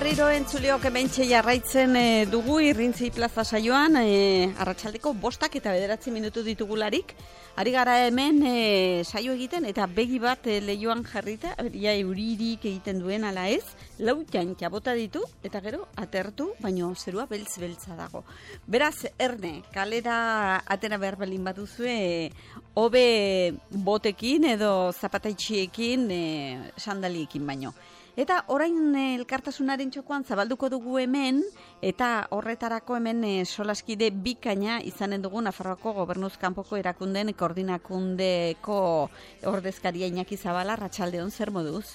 berriro entzuliok hementxe jarraitzen dugu Irrintzi Plaza saioan, arratsaldeko 5 eta 9 minutu ditugularik. Ari gara hemen saio egiten eta begi bat leioan jarrita, ja euririk egiten duen ala ez, lautan bota ditu eta gero atertu, baino zerua beltz-beltza dago. Beraz, erne, kalera atera behar belin baduzue, hobe botekin edo zapataitxiekin, sandaliekin baino. Eta orain elkartasunaren txokoan zabalduko dugu hemen, eta horretarako hemen solaskide bikaina izanen dugu Nafarroako Gobernuz Kanpoko Erakundeen Koordinakundeko ordezkaria Iñaki Zabala. Arratsaldeon, zer moduz?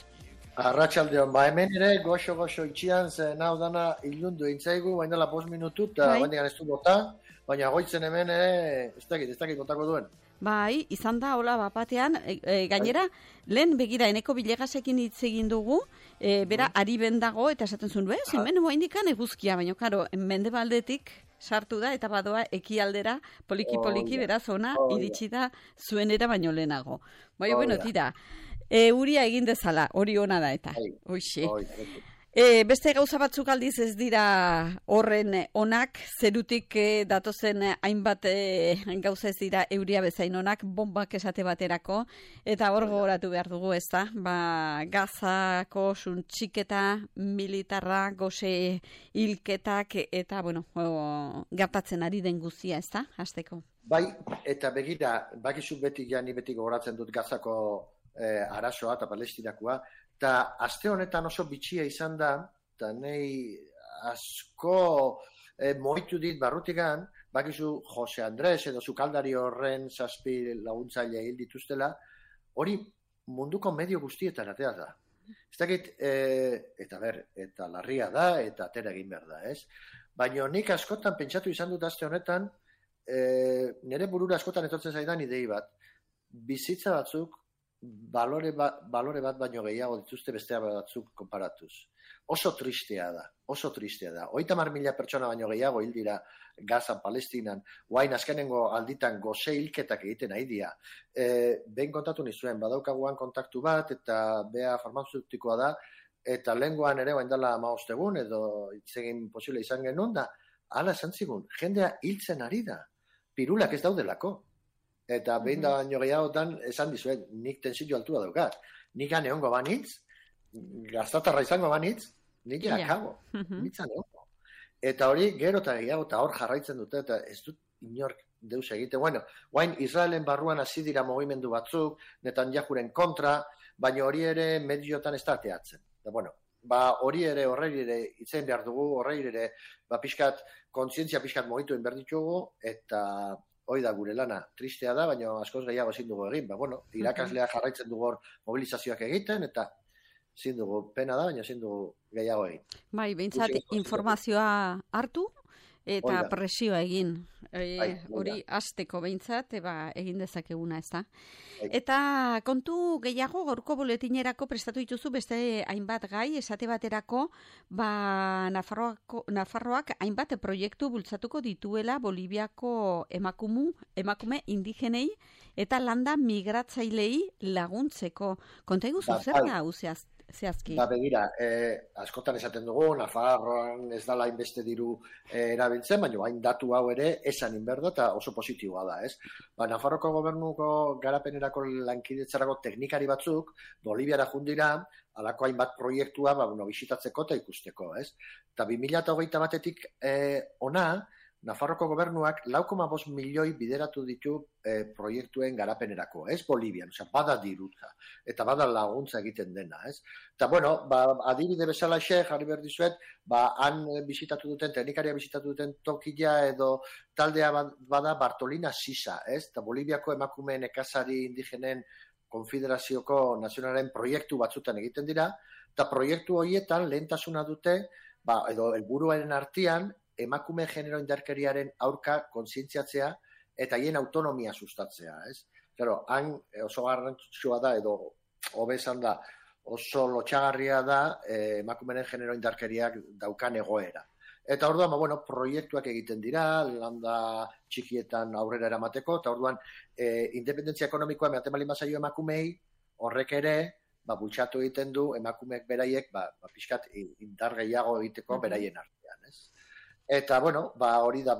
Arratsaldeon, hemen ere goxo itxian zen hau dana ilundu intzaigu, bainela 5 minutu eta baina ez du bota, baina goitzen hemen ere ez dakit botako duen. Bai, izan da, hola bapatean, gainera, lehen begira eneko bilegasekin hitz egin dugu, bera, ari bendago, eta esaten zuen, hemen indikan eguzkia, baina, karo, mendebaldetik sartu da, eta badoa ekialdera, poliki, beraz, ona, iritsi da zuenera baino lehenago. Bai, bueno, tira, uria egin dezala, hori ona da, eta, hoxe. Beste gauza batzuk aldiz ez dira horren onak, zerutik datozen hainbat gauza ez dira euria bezain onak, bombak esate baterako, eta hor gogoratu behar dugu ez da, Gazako suntxiketa militarra, gose hilketak, eta, gertatzen ari den guztia ez da, hasteko. Bai, eta begira, bakizu beti gogoratzen dut Gazako arazoa eta Palestinakoa, eta aste honetan oso bitxia izan da, eta nahi asko moitu dit barrutigan, bakizu Jose Andres edo sukaldari horren 7 laguntzaile hil dituztela, hori munduko medio guztietan atea da. Ez dakit, eta larria da, eta atera egin behar da, ez? Baina nik askotan pentsatu izan dut aste honetan, nire burura askotan etortzen zaidan idei bat, bizitza batzuk, balore bat baino gehiago dituzte bestea batzuk konparatuz. Oso tristea da. 30.000 pertsona baino gehiago hil dira Gazan, Palestinan, guain azkenengo alditan gose hilketak egiten ari dira. Behin kontatu nizuen, badaukaguan kontaktu bat, eta bea farmazeutikoa da, eta lehengoan ere guain dela 15 egun, edo itzegin posible izan genuen da, hala esan zigun, jendea hiltzen ari da, pirulak ez daudelako. Eta behin da baino gehiagotan esan dizuet, nik tensio altua daukat. Nik aneongo banitz, gaztatarra izango banitz, nik akago. Nitzan egongo. Eta hori gero eta gehiago eta hor jarraitzen dute, eta ez dut inork deus egite. Guain Israelen barruan hasi dira mugimendu batzuk, Netanyahuren kontra, baina hori ere mediotan ez da teatzen. Hori ere horrei ere itzen behar dugu, horrei ere kontzientzia pixkat mugitu behar ditugu, eta hoi da gure lana, tristea da, baina askoz gehiago ezin dugu egin. Irakasleak jarraitzen dugu mobilizazioak egiten, eta ezin dugu pena da, baina ezin dugu gehiago egin. Bai, behintzat informazioa hartu, eta presioa egin. Hori hasteko behintzat, egin dezakeguna ez da. Eta kontu gehiago, gaurko boletinerako prestatu dituzu beste hainbat gai, esate baterako, Nafarroak hainbat proiektu bultzatuko dituela Boliviako emakume indigenei eta landa migratzailei laguntzeko. Konta iguzu, zer da hau zehazki? Begira, askotan esaten dugu, Nafarroan ez dala hainbeste diru erabiltzen, baina hain datu hau ere esan inberda eta oso positiboa da, ez? Nafarroko gobernuko garapenerako lankidetzarako teknikari batzuk, Boliviara jundira, alako hainbat proiektua bisitatzeko eta ikusteko, ez? Eta 2021 batetik ona, Nafarroko gobernuak 4,5 milioi bideratu ditu proiektuen garapenerako, ez Bolivian, bada dirutza, eta bada laguntza egiten dena, ez? Eta, adibide bezala jarri behar dizuet, han bisitatu duten, teknikaria bisitatu duten tokila edo taldea bada Bartolina Sisa, ez? Eta Boliviako emakume nekazari indigenen konfederazioko nazionalen proiektu batzutan egiten dira, eta proiektu horietan lehentasuna dute, edo helburuaren artean, emakume genero indarkeriaren aurka kontzientziatzea eta hien autonomia sustatzea, ez? Han oso garrantzitsua da, edo hobe esan da, oso lotxagarria da emakumeen genero indarkeriak daukan egoera. Eta orduan, proiektuak egiten dira, landa txikietan aurrera eramateko, eta orduan, independentzia ekonomikoa ematen baldin bazaio emakumei, horrek ere, bultxatu egiten du emakumeek beraiek, pixkat indar gehiago egiteko beraien artean, ez? Eta, bueno, hori da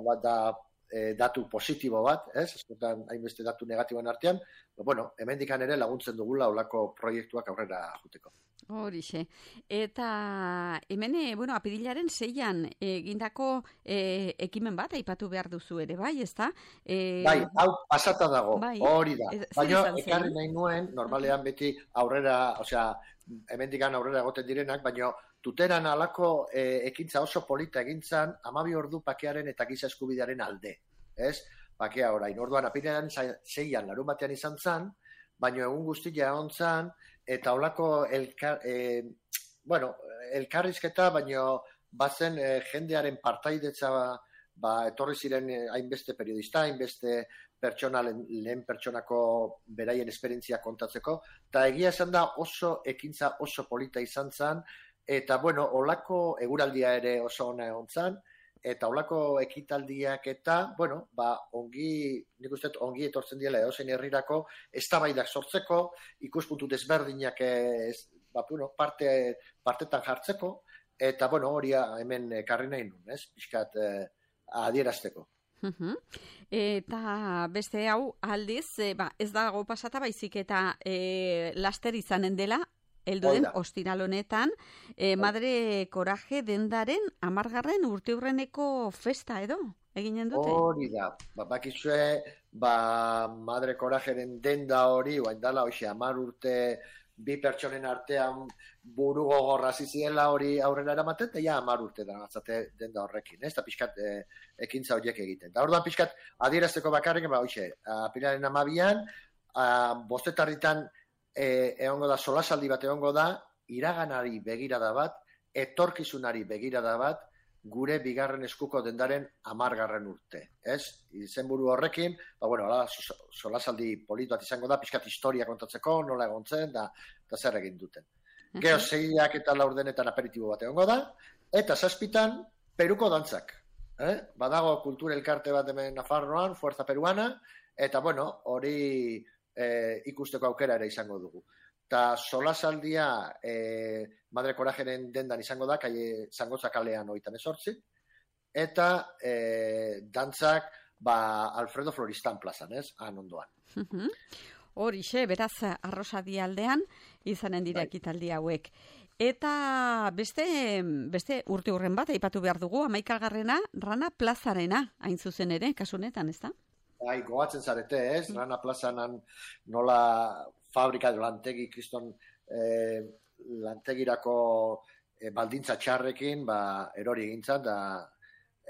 datu positibo bat, ez? Askotan hainbeste datu negatiboen artean, bueno, hemendikan ere laguntzen dugula olako proiektuak aurrera juteko. Horixe. Eta hemen, bueno, apirilaren 6an egindako ekimen bat aipatu behar duzu ere, bai, ezta? Bai, hau pasata dago, hori da. Baina ekarri nahi nuen, normalean beti aurrera, osea, hemendikan aurrera egoten direnak, baina tuteran alako ekintza oso polita egintzan, 12 ordu pakearen eta giza eskubidearen alde, ez? Pakea orain, orduan apirilaren 6an larun batean izan zan, baina egun guztia egon zan, eta holako elkarrizketa, baina bazen jendearen partaidetza etorri ziren hainbeste periodista, hainbeste pertsona, lehen pertsonako beraien esperientzia kontatzeko, eta egia esan da oso ekintza oso polita izan zen, eta bueno, holako eguraldia ere oso ona egon zen, eta holako ekitaldiak eta, bueno, nik uste ongi etortzen diela edozein herrirako, eztabaidak sortzeko, ikuspuntu desberdinak partetan jartzeko, eta, bueno, hori hemen ekarri nahi nun, ez? Pixkat adierazteko. Eta beste hau aldiz, ez dago pasata baizik eta laster izanen dela, Elduden ostiral honetan, Madre Coraje dendaren 10. urteurreneko festa edo eginen dute? Hori da, bakizue, Madre Corajeren denda hori, oain dala, 10 urte bi pertsonen artean buru gogorra ziziela hori aurrera eramaten, eta 10 urte da gatzate denda horrekin, ez da pixkat ekintza horiek egiten. Da orduan pixkat adierazteko bakarrik, apilaren 12an, 5:00 egongo da, solasaldi bat egongo da, iraganari begirada bat, etorkizunari begirada bat, gure bigarren eskuko dendaren 10. urte, ez? Izenburu horrekin, solasaldi polit bat izango da, pixkat historia kontatzeko, nola egon zen, da zer egin duten. Gero 6 eta 4 aperitibo bat egongo da, eta 7 Peruko dantzak. Badago kultura elkarte bat hemen Nafarroan, Fuerza Peruana, eta bueno, hori ikusteko aukera ere izango dugu. Eta solasaldia Madre Corajeren dendan izango da, Zangotza kalean 38, eta dantzak Alfredo Floristan plazan, ez? Han ondoan. Horixe, beraz, Arrosadi aldean izanen dira ekitaldi hauek. Eta beste urte hurren bat aipatu behar dugu, 11. Rana plazarena, hain zuzen ere, kasunetan, ez da? Goatzen zarete, ez? Rana plazanan nola fabrika edo lantegi, kriston lantegirako baldintza txarrekin, erori egintzat, da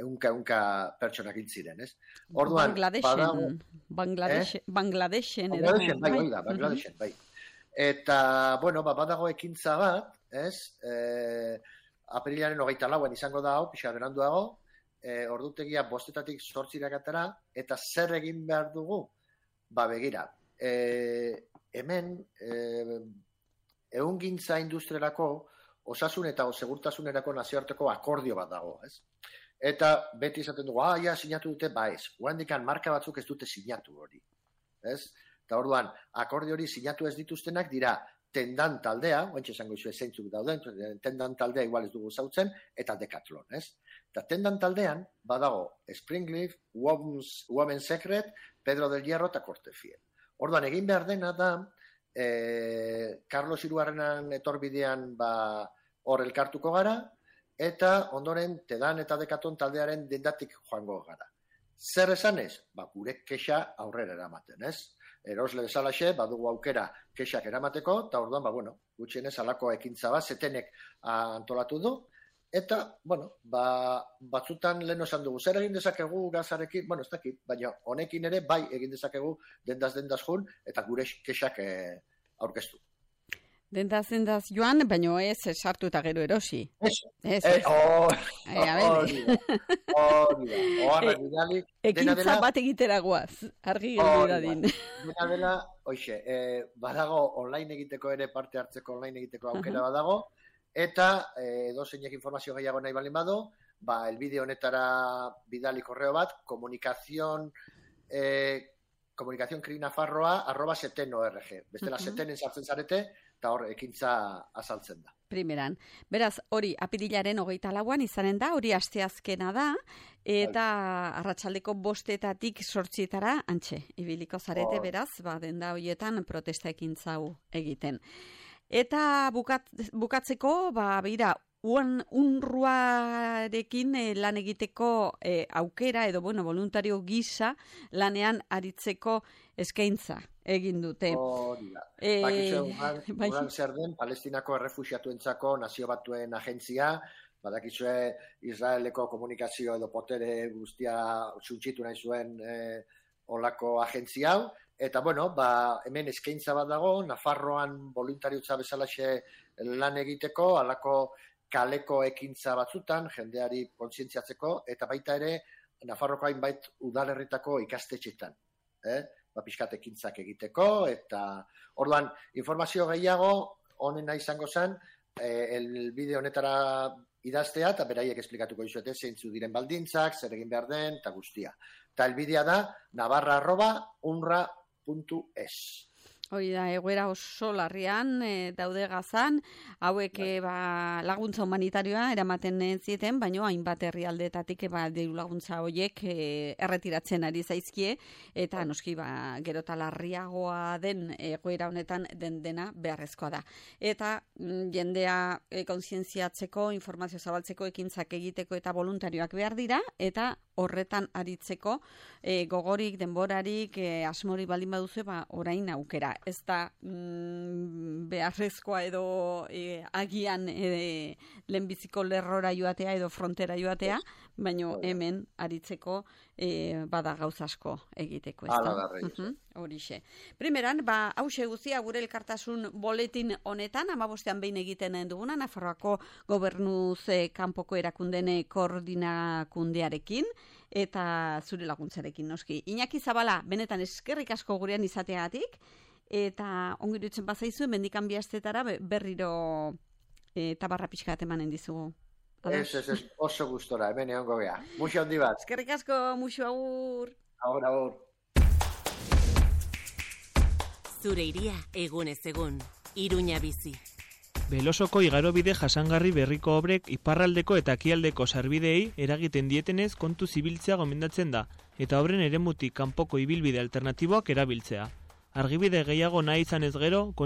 ehunka pertsonak hil ziren, ez? Orduan, Bangladeshen, bai. Eta, bueno, badago ekintza bat, ez? Apirilaren 24an izango da hau, pixa beranduago, ordutegia 5:00 8:00 eta zer egin behar dugu? Begira, hemen ehungintza industriarako osasun eta segurtasunerako nazioarteko akordio bat dago, ez? Eta beti esaten dugu, sinatu dute, ez. Oandikan marka batzuk ez dute sinatu hori, ez? Eta orduan, akordio hori sinatu ez dituztenak dira tendan taldea, oantxe esango izue zeintzuk dauden, tendan taldea igual ez dugu zautzen, eta Decathlon, ez? Eta tendan taldean, badago Springleaf, Women's Secret, Pedro del Hierro eta Cortefiel. Orduan, egin behar dena da, Carlos Hirugarrenan etorbidean hor elkartuko gara, eta ondoren Tedan eta Decathlon taldearen dendatik joango gara. Zer esanez? Gure kexa aurrera eramaten, ez? Erosle bezalaxe, badugu aukera kexak eramateko, eta orduan, gutxienez alako ekintza bat, zetenek antolatu du, eta, batzutan lehen esan dugu, zer egin dezakegu gazarekin, ez dakit, baina honekin ere bai egin dezakegu dendaz jun, eta gure kexak aurkeztu. Dendaz joan, baina ez sartu eta gero erosi. Ekintza bat egitera guaz, argi geldi dadin. Dena dela, badago online egiteko ere parte hartzeko online egiteko aukera badago, eta edozeinek informazio gehiago nahi balin badu, elbide honetara bidali korreo bat, komunikazion comunicacioncrinafarroa@seten.org. Bestela setenen sartzen zarete, eta hor ekintza azaltzen da. Primeran. Beraz, hori apirilaren 24an izanen da, hori asteazkena da, eta arratsaldeko 5:00 8:00 antxe, ibiliko zarete, beraz, denda horietan protesta ekintza hau egiten. Eta bukatzeko, begira, UNRWArekin lan egiteko aukera edo, voluntario gisa lanean aritzeko eskaintza egin dute. Uran zer den, Palestinako errefuxiatuentzako Nazio Batuen agentzia, badakizue Israeleko komunikazio edo potere guztia txuntxitu nahi zuen olako agentzia hau, eta hemen eskaintza bat dago, Nafarroan voluntariutza bezalaxe lan egiteko, alako kaleko ekintza batzutan, jendeari kontzientziatzeko, eta baita ere, Nafarroko hainbait udalerritako ikastetxetan. Pixkat ekintzak egiteko, eta orduan, informazio gehiago, honena izango zen, elbide honetara idaztea, eta beraiek esplikatuko dizuete, zeintzu diren baldintzak, zer egin behar den, eta guztia. Eta elbidea da, navarra@unra.es. Hori da, egoera oso larrian daude Gazan, hauek laguntza humanitarioa eramaten zieten, baina hainbat herrialdeetatik diru laguntza horiek erretiratzen ari zaizkie, eta noski gero eta larriagoa den egoera honetan dena beharrezkoa da. Eta jendea kontzientziatzeko, informazio zabaltzeko, ekintzak egiteko eta voluntarioak behar dira, eta horretan aritzeko gogorik, denborarik, asmori baldin baduzu, orain aukera. Ez da beharrezkoa edo agian lehenbiziko lerrora joatea edo frontera joatea, baina hemen aritzeko bada gauza asko egiteko. Horixe. Primeran, hause guztia gure elkartasun boletin honetan, 15ean behin egiten duguna, Nafarroako gobernuz kanpoko erakundeen koordinakundearekin, eta zure laguntzarekin, noski. Iñaki Zabala, benetan eskerrik asko gurean izateagatik, eta ongi dutzen bazaizu, mendikan bihaztetara berriro tabarra pixka bat emanen dizugu. Ez, oso gustora, hemen egongo gea. Muxo handi bat. Eskerrik asko, muxo agur. Agur. Zure iria, egunez egun, Iruña bizi. Belosoko igarobide jasangarri berriko obrek iparraldeko eta ekialdeko sarbideei eragiten dietenez kontu zibiltzea gomendatzen da, eta obren eremutik kanpoko ibilbide alternatiboak erabiltzea. Argibide gehiago nahi izanez gero,